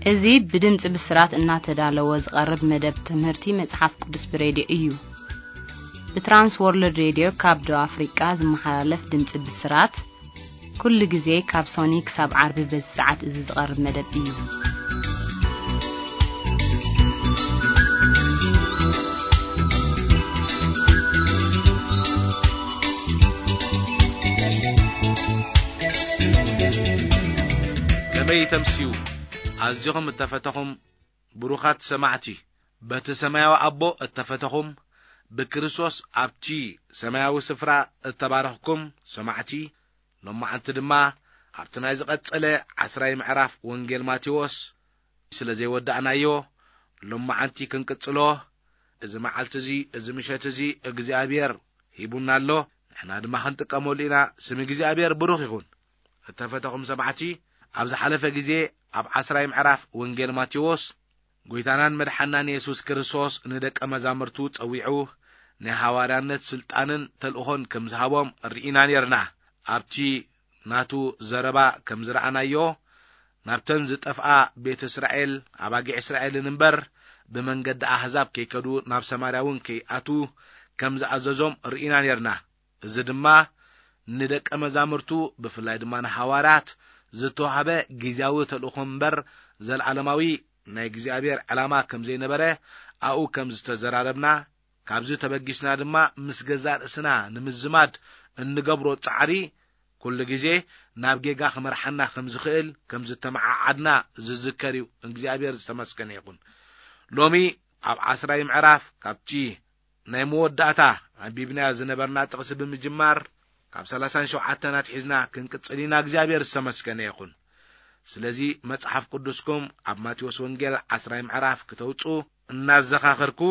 እዚ ብድምፂ ብስራት እናተዳለወ ዝቐርብ መደብ ትምህርቲ መጽሓፍ ቅዱስ ብሬድዮ እዩ። ብትራንስ ወርልድ ሬድዮ ካብ ደቡብ ኣፍሪቃ ዝመሓላለፍ ድምፂ ብስራት፣ ኩሉ ግዜ ካብ ሶኒ ክሳብ ዓርቢ በዚ ሰዓት እዚ ዝቐርብ መደብ እዩ። ከመይ ተምስዩ? ኣዚኹም እተፈተኹም ብሩኻት ሰማዕቲ፣ በቲ ሰማያዊ ኣቦ እተፈተኹም፣ ብክርስቶስ ኣብቲ ሰማያዊ ስፍራ እተባረኽኩም ሰማዕቲ፣ ሎማዓንቲ ድማ ኣብቲ ናይ ዝቐጸለ ዓስራይ ምዕራፍ ወንጌል ማቴዎስ ስለ ዘይወዳእናዮ፣ ሎማዓንቲ ክንቅጽሎ፣ እዚ መዓልቲ እዚ፣ እዚ ምሸት እዚ እግዚኣብሔር ሂቡና ኣሎ፣ ንሕና ድማ ክንጥቀመሉ ኢና። ስም እግዚኣብሔር ብሩኽ ይኹን። እተፈተኹም ሰማዕቲ፣ ኣብ ዝሓለፈ ግዜ ኣብ ዓስራይ ምዕራፍ ወንጌል ማቴዎስ፣ ጎይታናን መድሓናን የሱስ ክርስቶስ ንደቀ መዛሙርቱ ጸዊዑ፣ ናይ ሃዋርያነት ስልጣንን ተልእኾን ከም ዝሃቦም ርኢና ኔርና። ኣብቲ ናቱ ዘረባ ከም ዝረኣናዮ፣ ናብተን ዝጠፍኣ ቤት እስራኤል፣ ኣባጊዕ እስራኤልን እምበር፣ ብመንገዲ ኣህዛብ ከይከዱ፣ ናብ ሰማርያ እውን ከይኣትዉ ከም ዝኣዘዞም ርኢና ኔርና። እዚ ድማ ንደቀ መዛሙርቱ፣ ብፍላይ ድማ ንሃዋርያት ዝተዋህበ ግዝያዊ ተልእኾ እምበር፣ ዘለዓለማዊ ናይ እግዚኣብሔር ዕላማ ከም ዘይነበረ ኣብኡ ከም ዝተዘራረብና፣ ካብዚ ተበጊስና ድማ ምስ ገዛእ ርእስና ንምዝማድ እንገብሮ ጻዕሪ፣ ኩሉ ግዜ ናብ ጌጋ ክመርሓና ከም ዝኽእል ከም ዝተመዓዓድና ዝዝከር እዩ። እግዚኣብሔር ዝተመስገነ ይኹን። ሎሚ ኣብ ዓስራይ ምዕራፍ ካብቲ ናይ መወዳእታ ኣንቢብናዮ ዝነበርና ጥቕሲ ብምጅማር፣ ካብ ሰላሳን ሸውዓተን ኣትሒዝና ክንቅጽል ኢና። እግዚኣብሔር ዝተመስገነ ይኹን። ስለዚ መጽሓፍ ቅዱስኩም ኣብ ማቴዎስ ወንጌል ዓስራይ ምዕራፍ ክተውጽኡ እናዘኻኸርኩ፣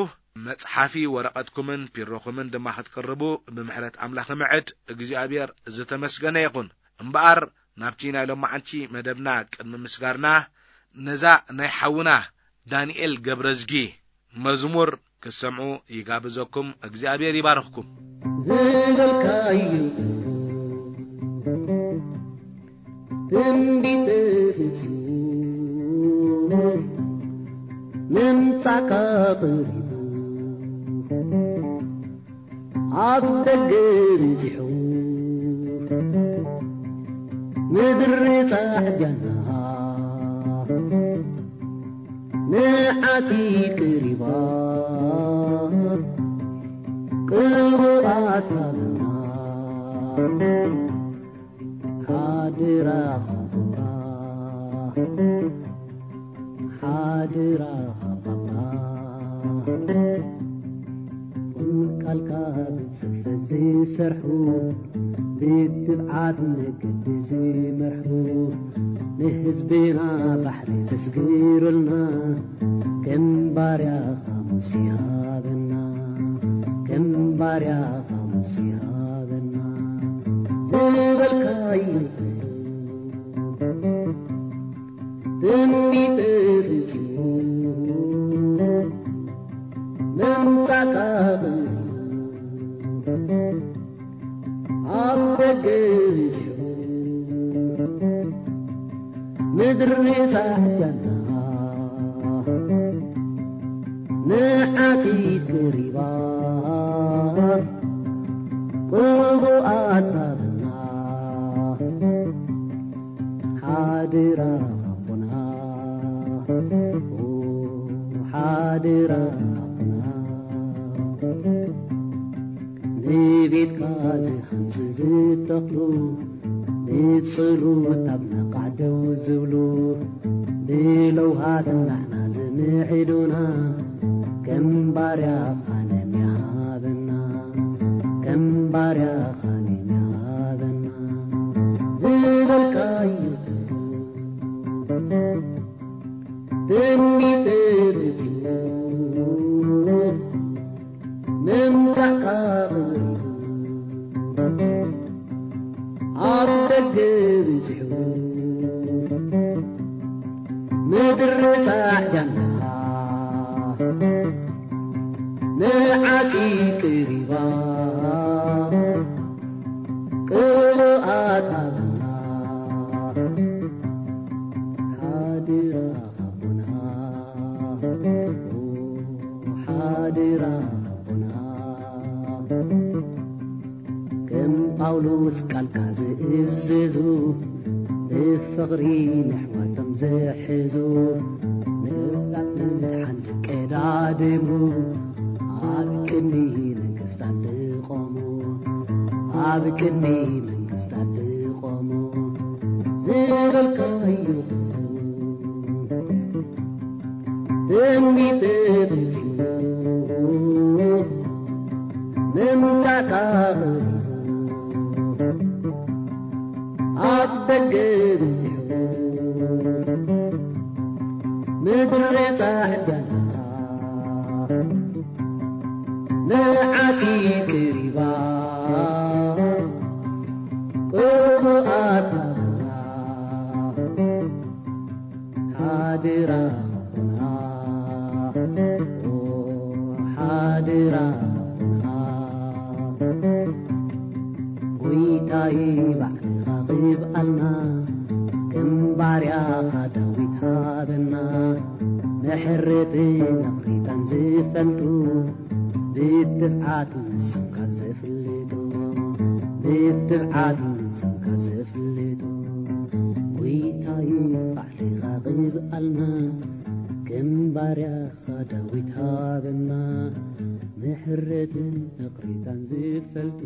መጽሓፊ ወረቐትኩምን ፒሮኹምን ድማ ክትቅርቡ ብምሕረት ኣምላኽ እምዕድ። እግዚኣብሔር ዝተመስገነ ይኹን። እምበኣር ናብቲ ናይ ሎማዓንቲ መደብና ቅድሚ ምስጋርና፣ ነዛ ናይ ሓውና ዳንኤል ገብረዝጊ መዝሙር ክትሰምዑ ይጋብዘኩም። እግዚኣብሔር ይባርኽኩም። ዝበልካዩ ትንቢት ተፈጺሙ፣ ምምጻእካ ቀሪቡ፣ ኣብ ደገ በጺሑ፣ ምድሪ ጻዕዳና ንዓጺድ ቀሪባ፣ ቅቡኣት ሃበና ሓደራ ሃበና። ሓደራ ሃባባ። ቃልካ ብጽፈት ዝሰርሑ፣ ብትብዓት መገዲ ዝመርሑ፣ ንህዝብና ባሕሪ ዘስግሩልና፣ ከም ባርያኻ ሙሴ ሃበና፣ ከም ባርያኻ ሙሴ ሃበና። ዝበልካዮ ትንቢት ተፈጺሙ፣ ምምጻእካ ኣብ ደገ በጺሑ፣ ምድሪ ጻዕዳና ንዓጺድ ቀሪባ፣ ቅቡኣት ሃበና ሓደራ ሃቦና፣ ሓደራ ሃቦና። ንቤትካ ዝሃንጹ ዝተኽሉ፣ ንጸሎት ኣብ ነቓዕ ደው ዝብሉ፣ ብለውሃት ናዕና ዝምዕዱና፣ ከም ባርያኻ ነሚያ ሃበና፣ ከም ባርያኻ ነሚያ ሃበና። ዝበልካዮ ትንቢት ተፈጺሙ፣ ምምጻእካ ቀሪቡ፣ ኣብ ደገ በጺሑ፣ ምድሪ ጻዕዳና ንዓጺድ ቀሪባ፣ ቅቡኣት ሃበና ሓደራ። ዝእዝዙ፣ ብፍቕሪ ንሕዋቶም ዝሕዙ፣ ንሳት ንምድሓን ዝቀዳደሙ፣ ኣብ ቅድሚ መንግስታት ዝቖሙ፣ ኣብ ቅድሚ መንግስታት ዝቖሙ፣ ዝበልካዮ ትንቢት ተፈጺሙ፣ ምምጻእካ ኣብ ደገ በጺሑ፣ ምድሪ ጻዕዳ ንዓቲ ቅሪባ፣ ቅሩኣት ሓድራ ኹና፣ ኦ ሓድራ ኹና። ጎይታይ ባዕልኻ ቅብኣልና፣ ከም ባርያኻ ዳዊት ሃበና። ምሕረትን ይቕሬታን ዝፈልጡ፣ ብትብዓት ንስምካ ዘፍልጡ፣ ብትብዓት ንስምካ ዘፍልጡ። ጎይታይ ባዕልኻ ቅብኣልና፣ ከም ባርያኻ ዳዊት ሃበና። ምሕረትን ይቕሬታን ዝፈልጡ።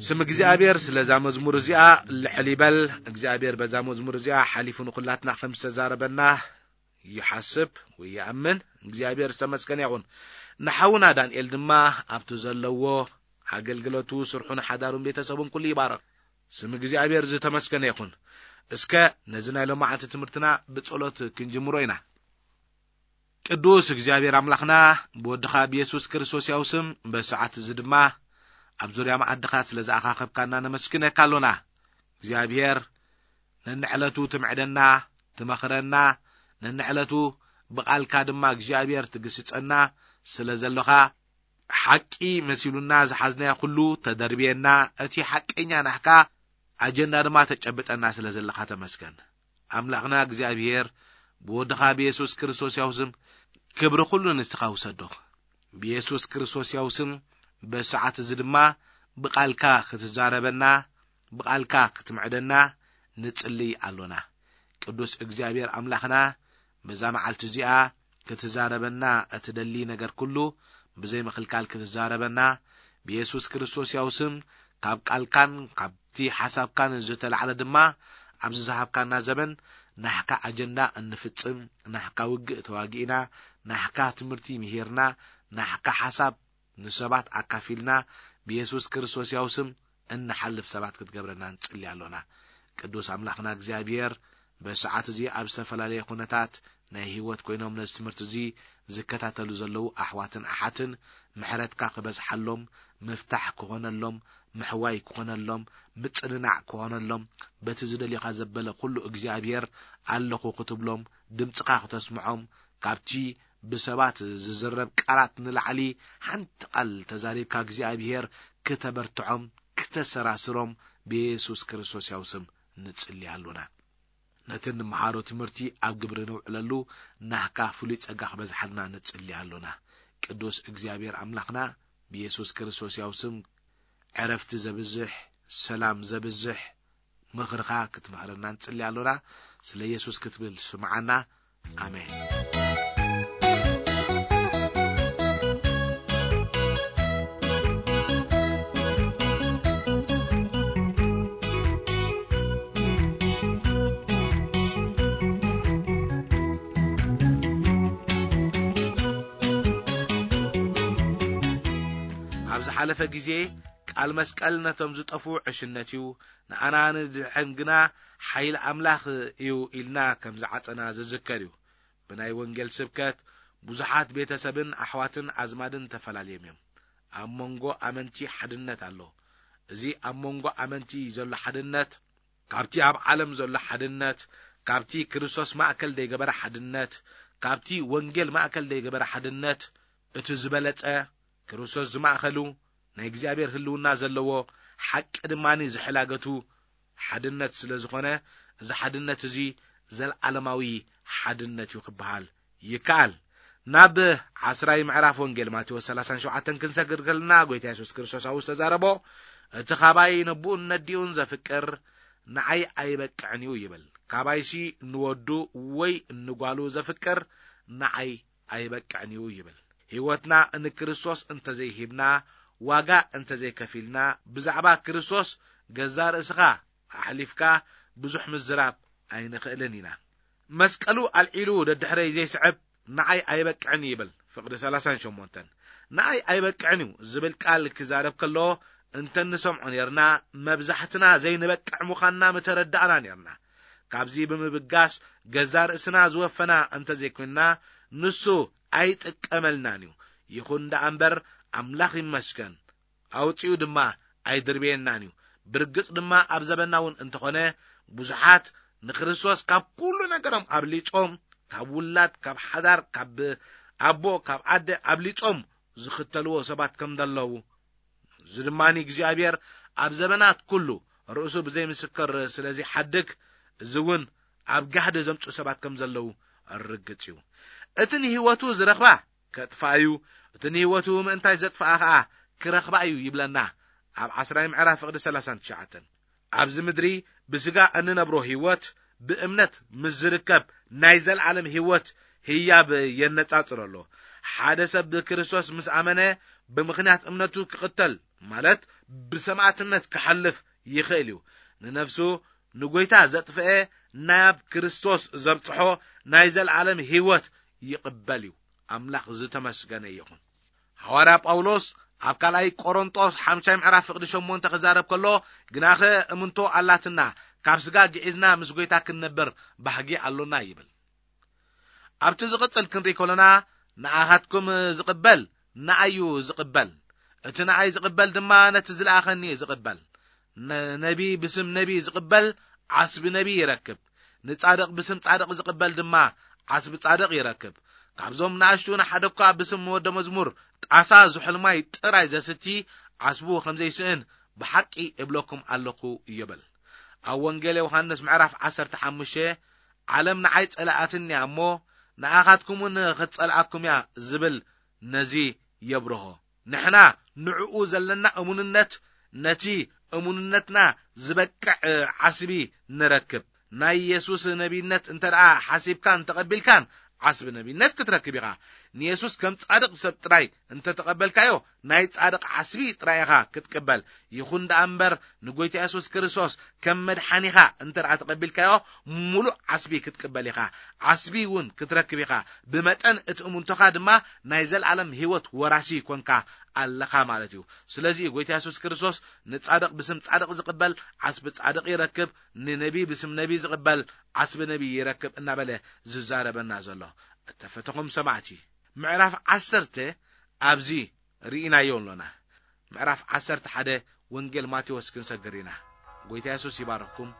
ስም እግዚኣብሔር ስለዛ መዝሙር እዚኣ ልዕል ይበል። እግዚኣብሔር በዛ መዝሙር እዚኣ ሓሊፉ ንኹላትና ከም ዝተዛረበና ይሓስብ ወይ ይኣምን። እግዚኣብሔር ዝተመስገነ ይኹን። ንሓውና ዳንኤል ድማ ኣብቲ ዘለዎ ኣገልግሎቱ፣ ስርሑን ሓዳሩን ቤተሰቡን ኩሉ ይባረኽ። ስም እግዚኣብሔር ዝተመስገነ ይኹን። እስከ ነዚ ናይ ሎማዓንቲ ትምህርትና ብጸሎት ክንጅምሮ ኢና። ቅዱስ እግዚኣብሔር ኣምላኽና፣ ብወድኻ ብየሱስ ክርስቶስ ያው ስም በሰዓት እዚ ድማ ኣብ ዙርያ መኣድኻ ስለ ዝኣኻኸብካና ነመስግነካ ኣሎና። እግዚኣብሔር ነንዕለቱ ትምዕደና፣ ትመኽረና፣ ነንዕለቱ ብቓልካ ድማ እግዚኣብሔር ትግስጸና ስለ ዘሎኻ፣ ሓቂ መሲሉና ዝሓዝናዮ ኩሉ ተደርብየና፣ እቲ ሓቀኛ ናህካ ኣጀንዳ ድማ ተጨብጠና ስለ ዘለኻ ተመስገን። ኣምላኽና እግዚኣብሔር፣ ብወድኻ ብየሱስ ክርስቶስ ያው ስም ክብሪ ኩሉ ንስኻ ውሰዶ። ብየሱስ ክርስቶስ ያው ስም በሰዓት እዚ ድማ ብቓልካ ክትዛረበና፣ ብቓልካ ክትምዕደና ንጽልይ ኣሎና። ቅዱስ እግዚኣብሔር ኣምላኽና፣ በዛ መዓልቲ እዚኣ ክትዛረበና እትደሊ ነገር ኩሉ ብዘይ ምኽልካል ክትዛረበና፣ ብየሱስ ክርስቶስ ያው ስም ካብ ቃልካን ካብቲ ሓሳብካን ዝተላዕለ ድማ ኣብዚ ዝሃብካና ዘበን ናህካ ኣጀንዳ እንፍጽም፣ ናህካ ውግእ ተዋጊእና፣ ናህካ ትምህርቲ ምሂርና፣ ናህካ ሓሳብ ንሰባት ኣካፊልና፣ ብየሱስ ክርስቶስ ያው ስም እንሓልፍ ሰባት ክትገብረና ንጽሊ ኣሎና። ቅዱስ ኣምላኽና እግዚኣብሔር፣ በሰዓት እዚ ኣብ ዝተፈላለየ ኩነታት ናይ ህይወት ኮይኖም ነዚ ትምህርቲ እዚ ዝከታተሉ ዘለዉ ኣሕዋትን ኣሓትን ምሕረትካ ክበዝሓሎም፣ ምፍታሕ ክኾነሎም፣ ምሕዋይ ክኾነሎም፣ ምጽንናዕ ክኾነሎም፣ በቲ ዝደልዮኻ ዘበለ ኩሉ እግዚኣብሔር ኣለኹ ክትብሎም፣ ድምጽኻ ክተስምዖም፣ ካብቲ ብሰባት ዝዝረብ ቃላት ንላዕሊ ሓንቲ ቃል ተዛሪብካ እግዚኣብሔር ክተበርትዖም፣ ክተሰራስሮም ብየሱስ ክርስቶስ ያው ስም ንጽሊ ኣሎና። ነቲ እንመሃሮ ትምህርቲ ኣብ ግብሪ ነውዕለሉ ናህካ ፍሉይ ጸጋ ክበዝሓልና ንጽሊ ኣሎና። ቅዱስ እግዚኣብሔር ኣምላኽና ብየሱስ ክርስቶስ ያው ስም ዕረፍቲ ዘብዝሕ፣ ሰላም ዘብዝሕ ምኽርኻ ክትምህረና ንጽሊ ኣሎና። ስለ የሱስ ክትብል ስምዓና። ኣሜን። ኣብ ዝሓለፈ ግዜ ቃል መስቀል ነቶም ዝጠፍኡ ዕሽነት እዩ፣ ንኣና ንድሕን ግና ሓይሊ ኣምላኽ እዩ ኢልና ከም ዝዓጸና ዝዝከር እዩ። ብናይ ወንጌል ስብከት ብዙሓት ቤተሰብን ኣሕዋትን ኣዝማድን ተፈላልዮም እዮም። ኣብ መንጎ ኣመንቲ ሓድነት ኣሎ። እዚ ኣብ መንጎ ኣመንቲ ዘሎ ሓድነት፣ ካብቲ ኣብ ዓለም ዘሎ ሓድነት፣ ካብቲ ክርስቶስ ማእከል ዘይገበረ ሓድነት፣ ካብቲ ወንጌል ማእከል ዘይገበረ ሓድነት፣ እቲ ዝበለጸ ክርስቶስ ዝማእከሉ ናይ እግዚኣብሔር ህልውና ዘለዎ ሓቂ ድማኒ ዝሕላገቱ ሓድነት ስለ ዝኾነ፣ እዚ ሓድነት እዚ ዘልዓለማዊ ሓድነት እዩ ክበሃል ይከኣል። ናብ ዓስራይ ምዕራፍ ወንጌል ማቴዎስ ሰላሳን ሸውዓተን ክንሰግር ከለና፣ ጎይታ የሱስ ክርስቶስ ኣብኡ ዝተዛረቦ፣ እቲ ኻባይ ነቦኡን ነዲኡን ዘፍቅር ንዓይ ኣይበቅዕን እዩ ይብል። ካባይሲ ንወዱ ወይ ንጓሉ ዘፍቅር ንዓይ ኣይበቅዕን እዩ ይብል። ህይወትና ንክርስቶስ እንተዘይሂብና፣ ዋጋ እንተዘይከፊልና፣ ብዛዕባ ክርስቶስ ገዛ ርእስኻ ኣሕሊፍካ ብዙሕ ምዝራብ ኣይንኽእልን ኢና። መስቀሉ ኣልዒሉ ደድሕረይ ዘይስዕብ ንዓይ ኣይበቅዕን ይብል። ፍቕዲ ሰላሳን ሸሞንተን። ንዓይ ኣይበቅዕን እዩ ዝብል ቃል ክዛረብ ከሎ እንተንሰምዖ ኔርና፣ መብዛሕትና ዘይንበቅዕ ምዃንና ምተረዳእና ኔርና። ካብዚ ብምብጋስ ገዛ ርእስና ዝወፈና እንተዘይኮንና፣ ንሱ ኣይጥቀመልናን እዩ። ይኹን ደኣ እምበር፣ ኣምላኽ ይመስገን፣ ኣውጺኡ ድማ ኣይድርብየናን እዩ። ብርግጽ ድማ ኣብ ዘበና እውን እንተኾነ፣ ብዙሓት ንክርስቶስ ካብ ኩሉ ነገሮም ኣብሊጾም፣ ካብ ውላድ፣ ካብ ሓዳር፣ ካብ ኣቦ፣ ካብ ኣደ ኣብሊጾም ዝኽተልዎ ሰባት ከም ዘለዉ፣ እዚ ድማ እግዚኣብሔር ኣብ ዘበናት ኩሉ ርእሱ ብዘይ ምስክር ስለ ዘይሓድግ፣ እዚ እውን ኣብ ጋህዲ ዘምጽኡ ሰባት ከም ዘለዉ ርግጽ እዩ። እቲ ንህይወቱ ዝረኽባ ከጥፍኣ እዩ፣ እቲ ንህይወቱ ምእንታይ ዘጥፍኣ ኸኣ ክረኽባ እዩ ይብለና ኣብ ዓስራይ ምዕራፍ ፍቕዲ ሰላሳን ትሽዓተን። ኣብዚ ምድሪ ብስጋ እንነብሮ ህይወት ብእምነት ምስ ዝርከብ ናይ ዘለዓለም ህይወት ህያብ የነጻጽሮ ኣሎ። ሓደ ሰብ ብክርስቶስ ምስ ኣመነ ብምኽንያት እምነቱ ክቕተል፣ ማለት ብሰማዕትነት ክሓልፍ ይኽእል እዩ። ንነፍሱ ንጎይታ ዘጥፍአ ናብ ክርስቶስ ዘብጽሖ ናይ ዘለዓለም ህይወት ይቕበል እዩ። ኣምላኽ ዝተመስገነ ይኹን። ሃዋርያ ጳውሎስ ኣብ ካልኣይ ቆሮንጦስ ሓምሻይ ምዕራፍ ፍቕዲ ሸሞንተ ክዛረብ ከሎ፣ ግናኸ እምንቶ ኣላትና፣ ካብ ስጋ ግዒዝና ምስ ጎይታ ክንነብር ባህጊ ኣሎና ይብል። ኣብቲ ዝቕጽል ክንርኢ ከሎና፣ ንኣኻትኩም ዝቕበል ንኣዩ ዝቕበል፣ እቲ ንኣይ ዝቕበል ድማ ነቲ ዝለኣኸኒ እዩ ዝቕበል። ነ-፣ ነቢ ብስም ነቢ ዝቕበል ዓስቢ ነቢ ይረክብ፣ ንጻድቕ ብስም ጻድቕ ዝቕበል ድማ ዓስቢ ጻድቕ ይረክብ። ካብዞም ንኣሽቱ ንሓደ እኳ ብስም ወደ መዝሙር ጣሳ ዝሑል ማይ ጥራይ ዘስቲ ዓስቡ ከም ዘይስእን ብሓቂ እብለኩም ኣለኹ ይብል። ኣብ ወንጌል ዮሃንስ ምዕራፍ ዓሰርተ ሓሙሽተ፣ ዓለም ንዓይ ጸላኣትኒ እያ እሞ፣ ንኣኻትኩም እውን ክትጸልኣኩም እያ ዝብል ነዚ የብርሆ። ንሕና ንዕኡ ዘለና እሙንነት ነቲ እሙንነትና ዝበቅዕ ዓስቢ ንረክብ። ናይ የሱስ ነቢይነት እንተ ደኣ ሓሲብካን ተቐቢልካን ዓስቢ ነቢይነት ክትረክብ ኢኻ። ንየሱስ ከም ጻድቕ ሰብ ጥራይ እንተ ተቐበልካዮ ናይ ጻድቕ ዓስቢ ጥራይ ኢኻ ክትቅበል። ይኹን ደኣ እምበር ንጎይታ የሱስ ክርስቶስ ከም መድሓኒኻ እንተ ደኣ ተቐቢልካዮ ምሉእ ዓስቢ ክትቅበል ኢኻ። ዓስቢ እውን ክትረክብ ኢኻ። ብመጠን እቲ እሙንቶኻ ድማ ናይ ዘለኣለም ህይወት ወራሲ ኮንካ ኣለኻ ማለት እዩ። ስለዚ ጎይታ የሱስ ክርስቶስ ንጻድቕ ብስም ጻድቕ ዝቕበል ዓስቢ ጻድቕ ይረክብ፣ ንነቢ ብስም ነቢ ዝቕበል ዓስቢ ነቢ ይረክብ እናበለ ዝዛረበና ዘሎ። እተፈተኹም ሰማዕቲ፣ ምዕራፍ ዓሰርተ ኣብዚ ርኢናዮ ኣሎና። ምዕራፍ ዓሰርተ ሓደ ወንጌል ማቴዎስ ክንሰግር ኢና። ጎይታ የሱስ ይባርኽኩም።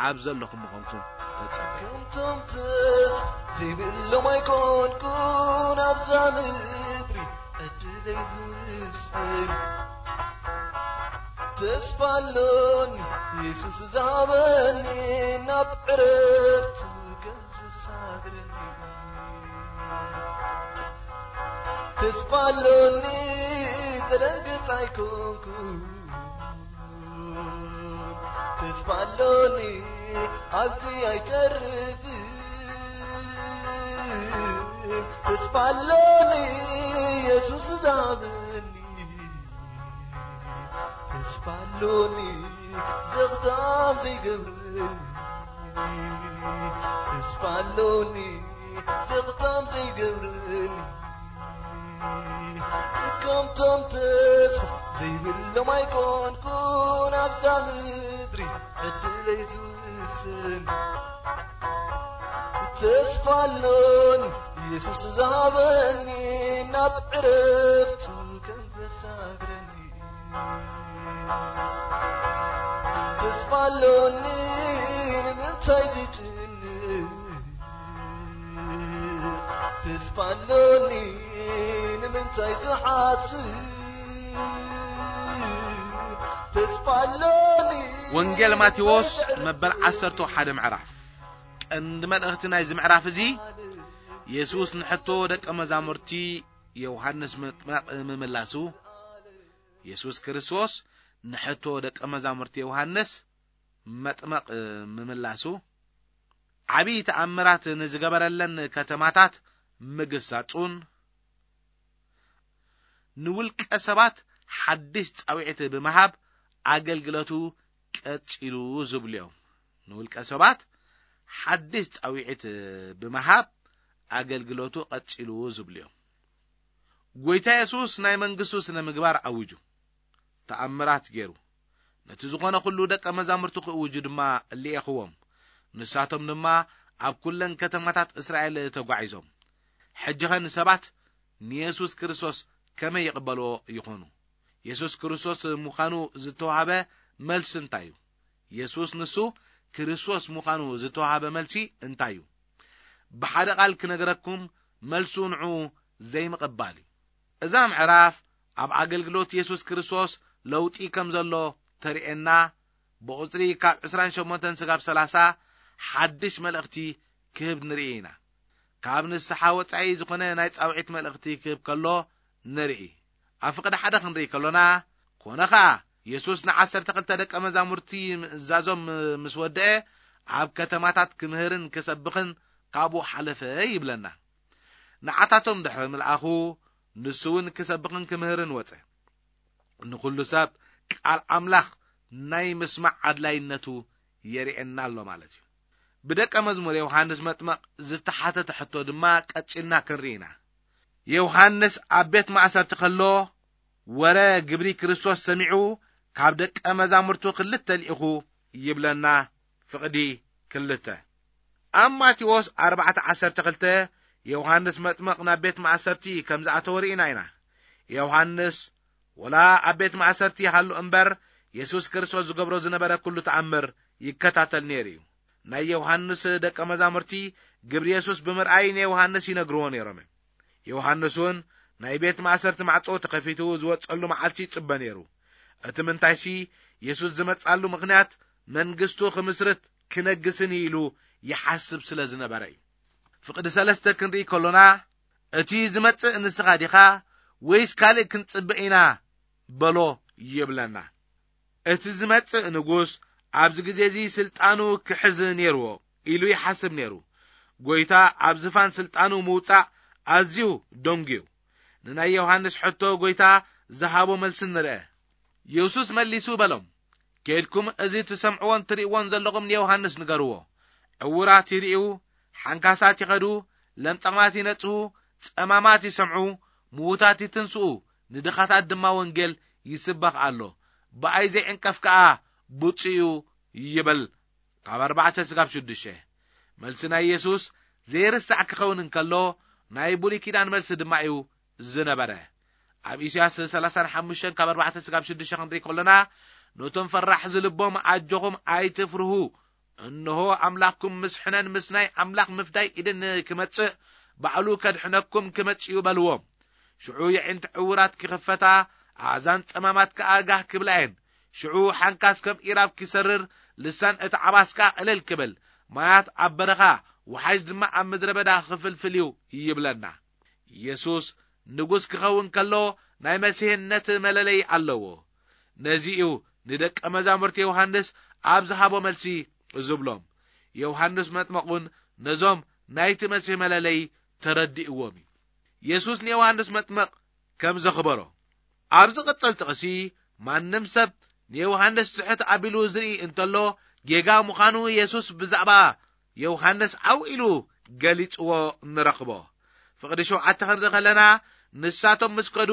ኣብ ዘለኹም ምዃንኩም ተጸበዩ። ከምቶም ተስፋ ዘይብሎም ኣይኮንኩን ኣብዛ ምድሪ ዕድለይ ዝውስን። ተስፋ ኣሎኒ የሱስ ዝሃበኒ ናብ ዕረፍቱ ከም ዘሳግረኒ። ተስፋ ኣሎኒ ተደንግጽ ኣይኮንኩን። ተስፋ ኣሎኒ ኣብዚ ኣይተርፍን። ተስፋ ኣሎኒ የሱስ ዝሃበኒ። ተስፋ ኣሎኒ ዘኽታም ዘይገብረኒ። ተስፋ ኣሎኒ ዘኽታም ዘይገብረኒ። ከምቶም ተስፋ ዘይብሎም ኣይኮንኩን ኣብዛ ምድሪ ዕድለይ ዝውስን። ተስፋ ኣሎኒ የሱስ ዝሃበኒ ናብ ዕረፍቱ ከም ዘሳግረኒ። ተስፋ ኣሎኒ ንምንታይ ዝጭንቕ? ተስፋ ኣሎኒ ንምንታይ ዝሓስብ? ተስፋ ኣሎኒ ወንጌል ማቴዎስ መበል ዓሰርተ ሓደ ምዕራፍ። ቀንዲ መልእኽቲ ናይዚ ምዕራፍ እዚ፣ የሱስ ንሕቶ ደቀ መዛሙርቲ ዮሃንስ መጥመቕ ምምላሱ፣ የሱስ ክርስቶስ ንሕቶ ደቀ መዛሙርቲ ዮሃንስ መጥመቕ ምምላሱ፣ ዓብዪ ተኣምራት ንዝገበረለን ከተማታት ምግሳጹን፣ ንውልቀ ሰባት ሓድሽ ጻውዒት ብምሃብ ኣገልግሎቱ ቀጺሉ ዝብሉ እዮም። ንውልቀ ሰባት ሓድሽ ጻውዒት ብምሃብ ኣገልግሎቱ ቀጺሉ ዝብሉ እዮም። ጎይታ የሱስ ናይ መንግስቱ ስነ ምግባር ኣዊጁ፣ ተኣምራት ገይሩ፣ ነቲ ዝኾነ ኩሉ ደቀ መዛሙርቱ ክእውጁ ድማ እልኤኽዎም። ንሳቶም ድማ ኣብ ኩለን ከተማታት እስራኤል ተጓዒዞም። ሕጂ ኸ ንሰባት ንየሱስ ክርስቶስ ከመይ ይቕበልዎ ይኾኑ? የሱስ ክርስቶስ ምዃኑ ዝተዋህበ መልሲ እንታይ እዩ? የሱስ ንሱ ክርስቶስ ምዃኑ ዝተዋህበ መልሲ እንታይ እዩ? ብሓደ ቃል ክነግረኩም፣ መልሱ ንዑ ዘይምቕባል እዩ። እዛ ምዕራፍ ኣብ ኣገልግሎት የሱስ ክርስቶስ ለውጢ ከም ዘሎ ተርእየና። ብቑጽሪ ካብ ዕስራን ሸሞንተን ስጋብ ሰላሳ ሓድሽ መልእኽቲ ክህብ ንርኢ ኢና። ካብ ንስሓ ወጻኢ ዝኾነ ናይ ጻውዒት መልእኽቲ ክህብ ከሎ ንርኢ። ኣብ ፍቕዲ ሓደ ክንርኢ ከሎና፣ ኮነ ኸኣ የሱስ ንዓሰርተ ክልተ ደቀ መዛሙርቲ ምእዛዞም ምስ ወደአ፣ ኣብ ከተማታት ክምህርን ክሰብኽን ካብኡ ሓለፈ ይብለና። ንዓታቶም ድሕሪ ምልኣኹ፣ ንሱ እውን ክሰብኽን ክምህርን ወጸ። ንኹሉ ሰብ ቃል ኣምላኽ ናይ ምስማዕ ኣድላይነቱ የርእየና ኣሎ ማለት እዩ። ብደቀ መዝሙር ዮሃንስ መጥመቕ ዝተሓተተ ሕቶ ድማ ቀጺልና ክንርኢ ኢና። ዮሃንስ ኣብ ቤት ማእሰርቲ ከሎ፣ ወረ ግብሪ ክርስቶስ ሰሚዑ፣ ካብ ደቀ መዛሙርቱ ክልተ ልኢኹ ይብለና። ፍቕዲ ክልተ። ኣብ ማቴዎስ ኣርባዕተ ዓሰርተ ክልተ፣ ዮሃንስ መጥመቕ ናብ ቤት ማእሰርቲ ከም ዝኣተወ ርኢና ኢና። ዮሃንስ ወላ ኣብ ቤት ማእሰርቲ ይሃሉ እምበር፣ የሱስ ክርስቶስ ዝገብሮ ዝነበረ ኩሉ ተኣምር ይከታተል ነይሩ እዩ። ናይ ዮሃንስ ደቀ መዛሙርቲ ግብሪ የሱስ ብምርኣይ ንዮሃንስ ይነግርዎ ነይሮም እዮም። ዮሃንስ እውን ናይ ቤት ማእሰርቲ ማዕጾ ተኸፊቱ ዝወጸሉ መዓልቲ ይጽበ ነይሩ። እቲ ምንታይሲ፣ የሱስ ዝመጻሉ ምኽንያት መንግስቱ ክምስርት ክነግስን እዩ ኢሉ ይሓስብ ስለ ዝነበረ እዩ። ፍቕዲ ሰለስተ ክንርኢ ከሎና፣ እቲ ዝመጽእ ንስኻ ዲኻ ወይስ ካልእ ክንጽበ ኢና በሎ ይብለና። እቲ ዝመጽእ ንጉስ ኣብዚ ግዜ እዚ ስልጣኑ ክሕዝ ነይርዎ ኢሉ ይሓስብ ነይሩ። ጎይታ ኣብ ዝፋን ስልጣኑ ምውጻእ ኣዝዩ ደንጉዩ። ንናይ ዮሃንስ ሕቶ ጎይታ ዝሃቦ መልሲ ንርአ። የሱስ መሊሱ በሎም፣ "ኬድኩም እዚ ትሰምዕዎን ትርእይዎን ዘለኹም ንዮሃንስ ንገርዎ። ዕዉራት ይርእዩ፣ ሓንካሳት ይኸዱ፣ ለምጻማት ይነጽሁ፣ ጸማማት ይሰምዑ፣ ምዉታት ይትንስኡ፣ ንድኻታት ድማ ወንጌል ይስበኽ ኣሎ። ብኣይ ዘይዕንቀፍ ከኣ ብጹእ እዩ" ይብል። ካብ ኣርባዕተ ስጋብ ሽዱሽተ። መልሲ ናይ የሱስ ዘይርሳዕ ክኸውን እንከሎ፣ ናይ ብሉይ ኪዳን መልሲ ድማ እዩ ዝነበረ። ኣብ ኢሳያስ ሰላሳን ሓሙሽተን ካብ ኣርባዕተ ስጋብ ሽዱሽተ ክንርኢ ከሎና፣ ነቶም ፈራሕ ዝልቦም ኣጆኹም ኣይትፍርሁ፣ እንሆ ኣምላኽኩም ምስ ሕነን ምስ ናይ ኣምላኽ ምፍዳይ ኢድን ክመጽእ፣ ባዕሉ ከድሕነኩም ክመጽእ እዩ በልዎም። ሽዑ የዒንቲ ዕውራት ክኽፈታ፣ ኣእዛን ጸማማት ከኣ ጋህ ክብላ እየን። ሽዑ ሓንካስ ከም ኢራብ ክሰርር፣ ልሳን እቲ ዓባስ ከኣ ቅልል ክብል፣ ማያት ኣብ በረኻ፣ ወሓይዝ ድማ ኣብ ምድረ በዳ ክፍልፍል እዩ ይብለና። የሱስ ንጉስ ክኸውን ከሎ ናይ መሲሕነት መለለዪ ኣለዎ። ነዚ እዩ ንደቀ መዛሙርቲ ዮሃንስ ኣብ ዝሃቦ መልሲ ዝብሎም። ዮሃንስ መጥመቕ እውን ነዞም ናይቲ መሲሕ መለለዪ ተረዲእዎም እዩ። የሱስ ንዮሃንስ መጥመቕ ከም ዘኽበሮ። ኣብ ዝቕጽል ጥቕሲ፣ ማንም ሰብ ንዮሃንስ ትሕት ኣቢሉ ዝርኢ እንተሎ፣ ጌጋ ምዃኑ የሱስ ብዛዕባ ዮሃንስ ዓው ኢሉ ገሊጽዎ ንረኽቦ። ፍቕዲ ሸውዓተ ክንርኢ ከለና፣ ንሳቶም ምስ ከዱ፣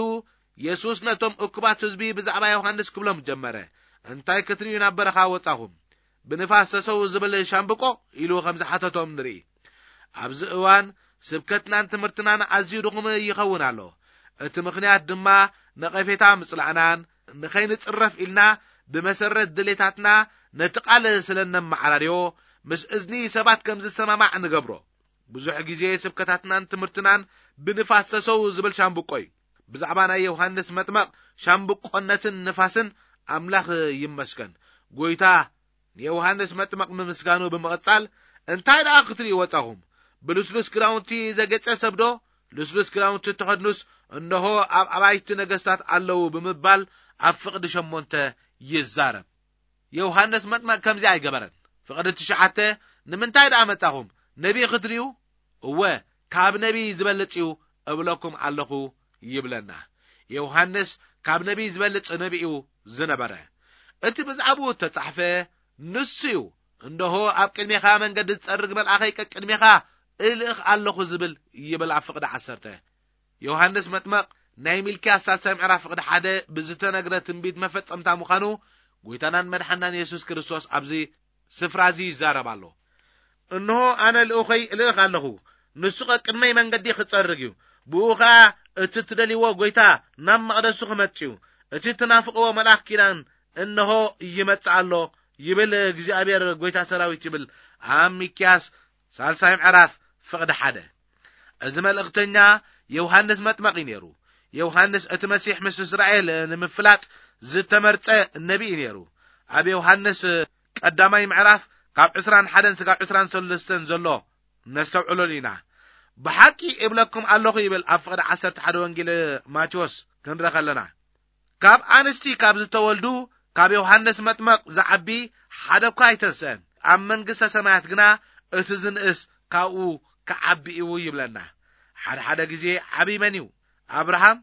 የሱስ ነቶም እኩባት ህዝቢ ብዛዕባ ዮሃንስ ክብሎም ጀመረ፣ "እንታይ ክትርእዩ ናብ በረኻ ወጻኹም? ብንፋስ ሰሰው ዝብል ሻምብቆ?" ኢሉ ከም ዝሓተቶም ንርኢ። ኣብዚ እዋን ስብከትናን ትምህርትናን ኣዝዩ ድኹም ይኸውን ኣሎ። እቲ ምኽንያት ድማ ነቐፌታ ምጽላእናን ንኸይንጽረፍ ኢልና ብመሰረት ድሌታትና ነቲ ቃል ስለ እነመዓራርዮ፣ ምስ እዝኒ ሰባት ከም ዝሰማማዕ ንገብሮ። ብዙሕ ግዜ ስብከታትናን ትምህርትናን ብንፋስ ሰሰው ዝብል ሻምብቆ እዩ። ብዛዕባ ናይ ዮሃንስ መጥመቕ ሻምብቆነትን ንፋስን ኣምላኽ ይመስገን። ጎይታ ንዮሃንስ መጥመቕ ምምስጋኑ ብምቕጻል፣ "እንታይ ደኣ ክትርእዩ ወጻኹም? ብልስሉስ ክዳውንቲ ዘጌጸ ሰብዶ? ልስሉስ ክዳውንቲ ተኸድኑስ፣ እንሆ ኣብ ኣባይቲ ነገስታት ኣለዉ" ብምባል ኣብ ፍቕዲ ሸሞንተ ይዛረብ። ዮሃንስ መጥመቕ ከምዚ ኣይገበረን። ፍቕዲ ትሽዓተ፣ ንምንታይ ደኣ መጻኹም? ነቢይ ክትርእዩ? እወ፣ ካብ ነቢይ ዝበልጽ እዩ እብለኩም ኣለኹ ይብለና። ዮሃንስ ካብ ነቢይ ዝበልጽ ነቢይ እዩ ዝነበረ። እቲ ብዛዕባኡ እተጻሕፈ ንሱ እዩ። እንሆ፣ ኣብ ቅድሜኻ መንገዲ ዝጸርግ መልኣኸይ ቀቅድሜኻ እልእኽ ኣለኹ ዝብል ይብል ኣብ ፍቕዲ ዓሰርተ። ዮሃንስ መጥመቕ ናይ ሚልክያስ ሳልሳይ ምዕራፍ ፍቕዲ ሓደ ብዝተነግረ ትንቢት መፈጸምታ ምዃኑ ጎይታናን መድሓናን የሱስ ክርስቶስ ኣብዚ ስፍራ እዚ ይዛረብ ኣሎ። እንሆ፣ ኣነ ልኡኸይ እልእኽ ኣለኹ፣ ንሱ ቐቅድመይ መንገዲ ክጸርግ እዩ፣ ብኡ ኸኣ እቲ ትደልይዎ ጎይታ ናብ መቕደሱ ክመጽእ እዩ፣ እቲ ትናፍቕዎ መልኣኽ ኪዳን እንሆ ይመጽእ ኣሎ ይብል እግዚኣብሔር ጎይታ ሰራዊት ይብል ኣብ ሚክያስ ሳልሳይ ምዕራፍ ፍቕዲ ሓደ። እዚ መልእኽተኛ ዮሃንስ መጥመቕ እዩ ነይሩ። ዮሃንስ እቲ መሲሕ ምስ እስራኤል ንምፍላጥ ዝተመርጸ ነቢይ እዩ ነይሩ። ኣብ ዮሃንስ ቀዳማይ ምዕራፍ ካብ ዕስራን ሓደን ስጋብ ዕስራን ሰለስተን ዘሎ ነስተውዕለሉ ኢና። ብሓቂ እብለኩም ኣለኹ ይብል ኣብ ፍቕዲ ዓሰርተ ሓደ ወንጌል ማቴዎስ ክንረ ከለና። ካብ ኣንስቲ ካብ ዝተወልዱ ካብ ዮሃንስ መጥመቕ ዝዓቢ ሓደ እኳ ኣይተንስአን። ኣብ መንግስተ ሰማያት ግና እቲ ዝንእስ ካብኡ ክዓቢ እዩ ይብለና። ሓደ ሓደ ግዜ ዓብይ መን እዩ? ኣብርሃም፣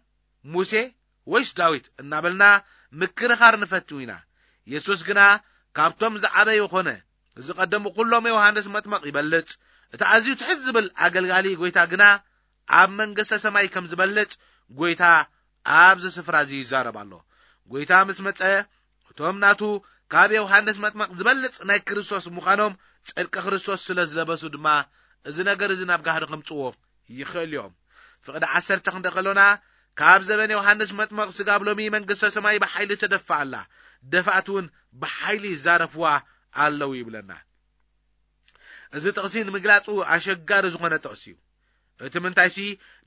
ሙሴ ወይስ ዳዊት እናበልና ምክርኻር ንፈትው ኢና። የሱስ ግና ካብቶም ዝዓበዩ ኾነ። ዝቐደሙ ኩሎም ዮሃንስ መጥመቕ ይበልጽ። እቲ ኣዝዩ ትሕት ዝብል ኣገልጋሊ ጎይታ ግና ኣብ መንግስተ ሰማይ ከም ዝበልጽ ጎይታ ኣብዚ ስፍራ እዚ ይዛረብ ኣሎ። ጎይታ ምስ መጸ እቶም ናቱ ካብ ዮሃንስ መጥመቕ ዝበልጽ ናይ ክርስቶስ ምዃኖም ጽድቂ ክርስቶስ ስለ ዝለበሱ ድማ እዚ ነገር እዚ ናብ ጋህዲ ከምጽዎ ይኽእል እዮም። ፍቕዲ ዓሰርተ ክንደ ከሎና ካብ ዘበን ዮሃንስ መጥመቕ ስጋብ ሎሚ መንግስተ ሰማይ ብሓይሊ ተደፍኣ ኣላ። ደፋእቲ እውን ብሓይሊ ይዛረፍዋ ኣለዉ ይብለና። እዚ ጥቕሲ ንምግላጹ ኣሸጋሪ ዝኾነ ጥቕሲ እዩ። እቲ ምንታይሲ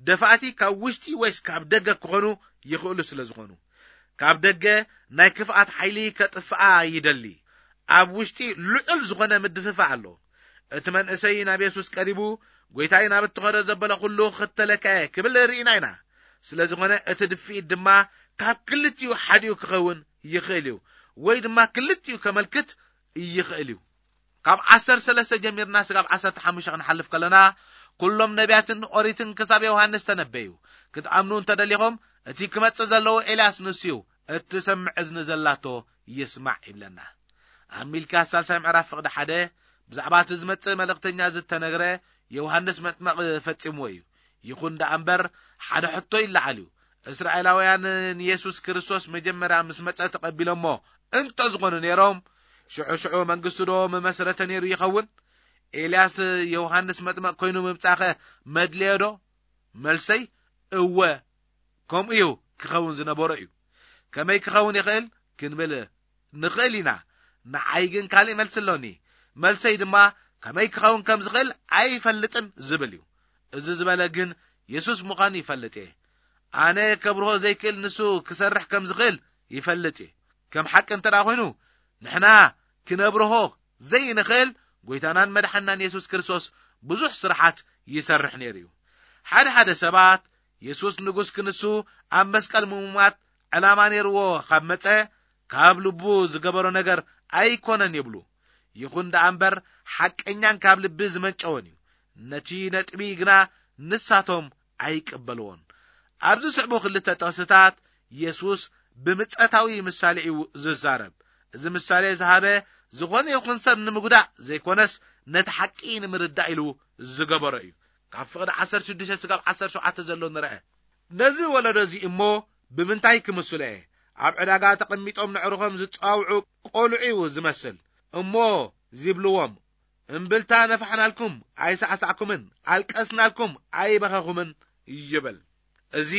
ደፋእቲ ካብ ውሽጢ ወይስ ካብ ደገ ክኾኑ ይኽእሉ ስለ ዝኾኑ። ካብ ደገ ናይ ክፍኣት ሓይሊ ከጥፍኣ ይደሊ። ኣብ ውሽጢ ልዑል ዝኾነ ምድፍፋእ ኣሎ። እቲ መንእሰይ ናብ የሱስ ቀሪቡ፣ ጎይታይ ናብ እትኸዶ ዘበለ ኩሉ ክተለካ እየ ክብል ርኢና ኢና። ስለ ዝኾነ እቲ ድፍኢት ድማ ካብ ክልቲኡ ሓዲኡ ክኸውን ይኽእል እዩ፣ ወይ ድማ ክልቲኡ ከመልክት ይኽእል እዩ። ካብ ዓሰርተ ሰለስተ ጀሚርና ስጋብ ዓሰርተ ሓሙሽተ ክንሓልፍ ከለና፣ ኩሎም ነቢያትን ኦሪትን ክሳብ ዮሃንስ ተነበዩ። ክትኣምኑ እንተደሊኹም፣ እቲ ክመጽእ ዘለዎ ኤልያስ ንሱ እዩ። እትሰምዕ እዝኒ ዘላቶ ይስማዕ ይብለና። ኣብ ሚልክያስ ሳልሳይ ምዕራፍ ፍቕዲ ሓደ ብዛዕባ እቲ ዝመጽእ መልእኽተኛ ዝተነግረ ዮሃንስ መጥመቕ ፈጺምዎ እዩ። ይኹን ደኣ እምበር ሓደ ሕቶ ይለዓል እዩ። እስራኤላውያን ንየሱስ ክርስቶስ መጀመርያ ምስ መጸ ተቐቢሎሞ እንተ ዝኾኑ ነይሮም፣ ሽዑ ሽዑ መንግስቱ ዶ መመስረተ ነይሩ ይኸውን? ኤልያስ ዮሃንስ መጥመቕ ኮይኑ ምምጻኸ መድለዮ ዶ? መልሰይ እወ፣ ከምኡ እዩ ክኸውን ዝነበሮ እዩ። ከመይ ክኸውን ይኽእል ክንብል ንኽእል ኢና። ንዓይ ግን ካልእ መልሲ ኣሎኒ። መልሰይ ድማ ከመይ ክኸውን ከም ዝኽእል ኣይፈልጥን ዝብል እዩ። እዚ ዝበለ ግን የሱስ ምዃኑ ይፈልጥ እየ። ኣነ ከብርሆ ዘይክእል ንሱ ክሰርሕ ከም ዝኽእል ይፈልጥ እየ። ከም ሓቂ እንተ ደኣ ኮይኑ ንሕና ክነብርሆ ዘይንኽእል ጎይታናን መድሓናን የሱስ ክርስቶስ ብዙሕ ስራሓት ይሰርሕ ነይሩ እዩ። ሓደ ሓደ ሰባት የሱስ ንጉስ ክንሱ ኣብ መስቀል ምሙማት ዕላማ ነይርዎ ካብ መጸ ካብ ልቡ ዝገበሮ ነገር ኣይኮነን ይብሉ። ይኹን ደኣ እምበር ሓቀኛን ካብ ልቢ ዝመንጨወን እዩ። ነቲ ነጥቢ ግና ንሳቶም ኣይቅበልዎን። ኣብዚ ስዕቡ ክልተ ጥቕስታት የሱስ ብምጸታዊ ምሳሌ እዩ ዝዛረብ። እዚ ምሳሌ ዝሃበ ዝኾነ ይኹን ሰብ ንምጉዳእ ዘይኮነስ ነቲ ሓቂ ንምርዳእ ኢሉ ዝገበሮ እዩ። ካብ ፍቕዲ ዓሰርተ ሽዱሽተ ስጋብ ዓሰርተ ሸውዓተ ዘሎ ንርአ። ነዚ ወለዶ እዚ እሞ ብምንታይ ክምስሎ እየ? ኣብ ዕዳጋ ተቐሚጦም ነዕርኾም ዝጸዋውዑ ቆልዑ እዩ ዝመስል። እሞ ዚብልዎም፣ እምብልታ ነፋሕናልኩም ኣይሳዕሳዕኩምን፣ ኣልቀስናልኩም ኣይበኸኹምን ይብል። እዚ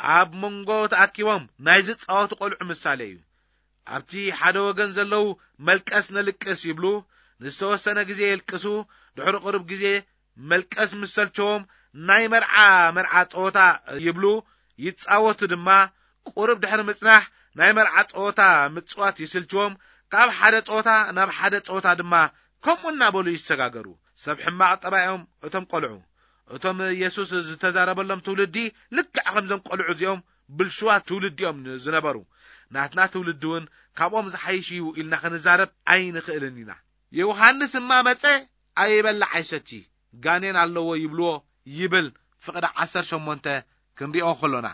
ኣብ መንጎ ተኣኪቦም ናይ ዝጻወቱ ቆልዑ ምሳሌ እዩ። ኣብቲ ሓደ ወገን ዘለዉ መልቀስ ነልቅስ ይብሉ፣ ንዝተወሰነ ግዜ የልቅሱ፣ ድሕሪ ቁሩብ ግዜ መልቀስ ምስ ሰልቸዎም ናይ መርዓ መርዓ ጸወታ ይብሉ፣ ይጻወቱ ድማ። ቁሩብ ድሕሪ ምጽናሕ ናይ መርዓ ጸወታ ምጽዋት ይስልችዎም፣ ካብ ሓደ ጸወታ ናብ ሓደ ጸወታ ድማ ከምኡ እናበሉ ይሰጋገሩ። ሰብ ሕማቕ ጠባዮም እቶም ቆልዑ። እቶም የሱስ ዝተዛረበሎም ትውልዲ ልክዕ ከምዞም ቆልዑ እዚኦም ብልሽዋት ትውልዲ እዮም ዝነበሩ። ናትና ትውልዲ እውን ካብኦም ዝሓይሽ እዩ ኢልና ክንዛረብ ኣይንኽእልን ኢና። ዮሃንስ እማ መጸ፣ ኣይበልዕ ኣይሰቲ፣ ጋኔን ኣለዎ ይብልዎ ይብል ፍቕዲ ዓሰርተ ሸሞንተ ክንሪኦ ከሎና።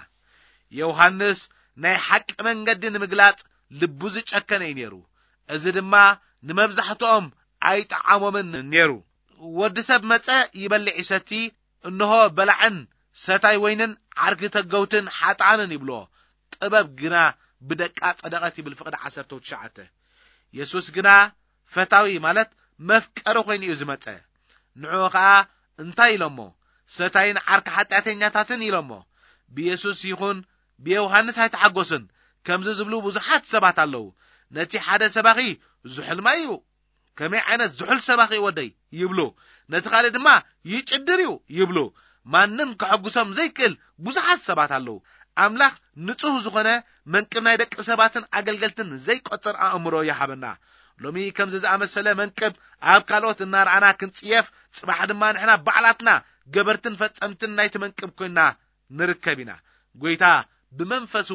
ዮሃንስ ናይ ሓቂ መንገዲ ንምግላጽ ልቡ ዝጨከነ እዩ ነይሩ። እዚ ድማ ንመብዛሕትኦም ኣይጠዓሞምን ነይሩ። ወዲ ሰብ መጸ፣ ይበልዕ ይሰቲ፣ እንሆ በላዕን ሰታይ ወይንን ዓርኪ ተገውትን ሓጥኣንን ይብልዎ። ጥበብ ግና ብደቃ ጸደቐት ይብል ፍቕዲ ዓሰርተ ትሽዓተ። የሱስ ግና ፈታዊ ማለት መፍቀሪ ኮይኑ እዩ ዝመጸ። ንዕኡ ኸኣ እንታይ ኢሎሞ? ሰታይን ዓርኪ ሓጢኣተኛታትን ኢሎሞ። ብየሱስ ይኹን ብዮሃንስ ኣይተሓጎስን። ከምዚ ዝብሉ ብዙሓት ሰባት ኣለዉ። ነቲ ሓደ ሰባኺ ዝሑል ማይ እዩ። ከመይ ዓይነት ዝሑል ሰባኺ ወደይ ይብሉ። ነቲ ካልእ ድማ ይጭድር እዩ ይብሉ። ማንም ከሐጉሶም ዘይክእል ብዙሓት ሰባት ኣለዉ። ኣምላኽ ንጹህ ዝኾነ መንቅብ ናይ ደቂ ሰባትን ኣገልገልትን ዘይቆጽር ኣእምሮ ይሃበና። ሎሚ ከምዚ ዝኣመሰለ መንቅብ ኣብ ካልኦት እናረኣና ክንጽየፍ፣ ጽባሕ ድማ ንሕና ባዕላትና ገበርትን ፈጸምትን ናይቲ መንቅብ ኮይንና ንርከብ ኢና። ጎይታ ብመንፈሱ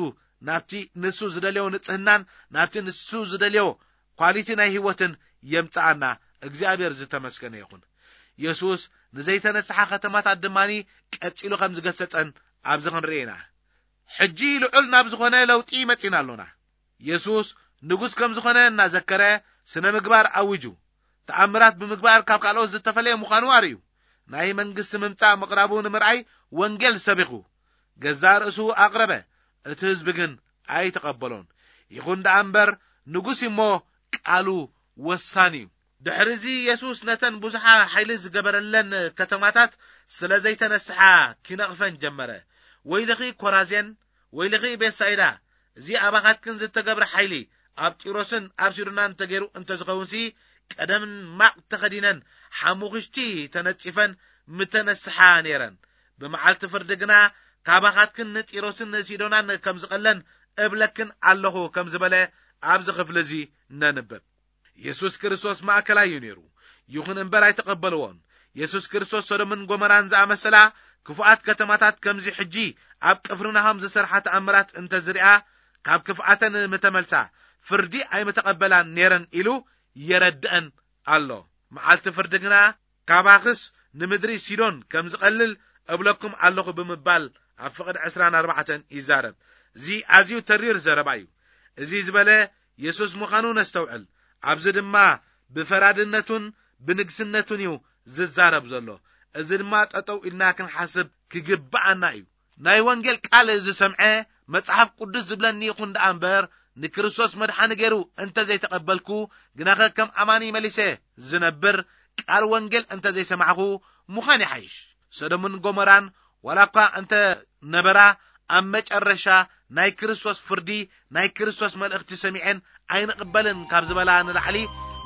ናብቲ ንሱ ዝደልዮ ንጽህናን ናብቲ ንሱ ዝደልዮ ኳሊቲ ናይ ህይወትን የምጽኣና። እግዚኣብሔር ዝተመስገነ ይኹን። የሱስ ንዘይተነስሓ ከተማታት ድማኒ ቀጺሉ ከም ዝገሰጸን ኣብዚ ክንርኢ ኢና። ሕጂ ልዑል ናብ ዝኾነ ለውጢ መጺና ኣሎና። የሱስ ንጉስ ከም ዝኾነ እናዘከረ ስነ ምግባር ኣዊጁ። ተኣምራት ብምግባር ካብ ካልኦት ዝተፈለየ ምዃኑ ኣርእዩ። ናይ መንግስቲ ምምጻእ ምቕራቡ ንምርኣይ ወንጌል ሰቢኹ። ገዛእ ርእሱ ኣቕረበ። እቲ ህዝቢ ግን ኣይተቐበሎን። ይኹን ደኣ እምበር ንጉስ እሞ ቃሉ ወሳኒ እዩ። ድሕሪ እዚ የሱስ ነተን ብዙሓ ሓይሊ ዝገበረለን ከተማታት ስለ ዘይተነስሓ ኪነቕፈን ጀመረ። ወይልኺ ኮራዜን፣ ወይልኺ ቤትሳይዳ፣ እዚ ኣባኻትክን ዝተገብረ ሓይሊ ኣብ ጢሮስን ኣብ ሲዶናን ተገይሩ እንተዝኸውንሲ፣ ቀደምን ማቕ ተኸዲነን ሓሙኽሽቲ ተነጺፈን ምተነስሓ ነይረን። ብመዓልቲ ፍርዲ ግና ካባኻትክን ንጢሮስን ንሲዶናን ከም ዝቐለን እብለክን ኣለኹ ከም ዝበለ ኣብዚ ክፍሊ እዚ ነንብብ። የሱስ ክርስቶስ ማእከላይ እዩ ነይሩ። ይኹን እምበር ኣይተቐበልዎን። የሱስ ክርስቶስ ሶዶምን ጎመራን ዝኣመሰላ ክፉኣት ከተማታት ከምዚ ሕጂ ኣብ ቅፍርናሆም ዝሰርሓ ተኣምራት እንተዝሪኣ ካብ ክፍኣተን ምተመልሳ፣ ፍርዲ ኣይምተቐበላን ነይረን ኢሉ የረድአን ኣሎ። መዓልቲ ፍርዲ ግና ካባኽስ ንምድሪ ሲዶን ከም ዝቐልል እብለኩም ኣለኹ ብምባል ኣብ ፍቕዲ ዕስራን ኣርባዕተን ይዛረብ። እዚ ኣዝዩ ተሪር ዘረባ እዩ። እዚ ዝበለ የሱስ ምዃኑ ነስተውዕል። ኣብዚ ድማ ብፈራድነቱን ብንግስነቱን እዩ ዝዛረብ ዘሎ። እዚ ድማ ጠጠው ኢልና ክንሓስብ ክግብኣና እዩ። ናይ ወንጌል ቃል ዝሰምዐ መጽሓፍ ቅዱስ ዝብለኒ ይኹን ደኣ እምበር፣ ንክርስቶስ መድሓኒ ገይሩ እንተ ዘይተቐበልኩ፣ ግናኸ ከም ኣማኒ መሊሰ ዝነብር ቃል ወንጌል እንተ ዘይሰማዕኹ ምዃን ይሓይሽ። ሰዶምን ጎሞራን ዋላ እኳ እንተ ነበራ፣ ኣብ መጨረሻ ናይ ክርስቶስ ፍርዲ፣ ናይ ክርስቶስ መልእኽቲ ሰሚዐን ኣይንቕበልን ካብ ዝበላ ንላዕሊ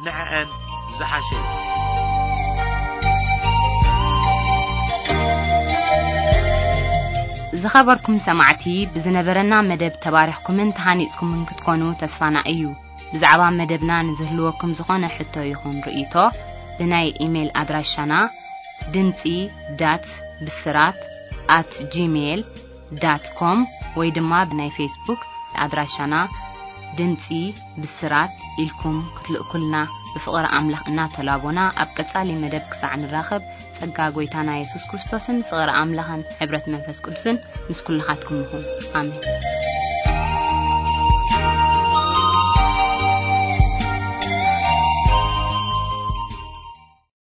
ንዐአን ዝሓሸ እዩ። ዝኸበርኩም ሰማዕቲ፣ ብዝነበረና መደብ ተባሪኽኩምን ተሃኒጽኩምን ክትኮኑ ተስፋና እዩ። ብዛዕባ መደብና ንዝህልወኩም ዝኾነ ሕቶ ይኹን ርእይቶ፣ ብናይ ኢሜይል ኣድራሻና ድምጺ ዳት ብስራት ኣት ጂሜይል ዳት ኮም ወይ ድማ ብናይ ፌስቡክ ኣድራሻና ድምጺ ብስራት ኢልኩም ክትልእኩልና ብፍቕሪ ኣምላኽ እናተላቦና፣ ኣብ ቀጻሊ መደብ ክሳዕ ንራኸብ፣ ጸጋ ጐይታና የሱስ ክርስቶስን ፍቕሪ ኣምላኽን ሕብረት መንፈስ ቅዱስን ምስ ኩልኻትኩም ይኹን። ኣሜን።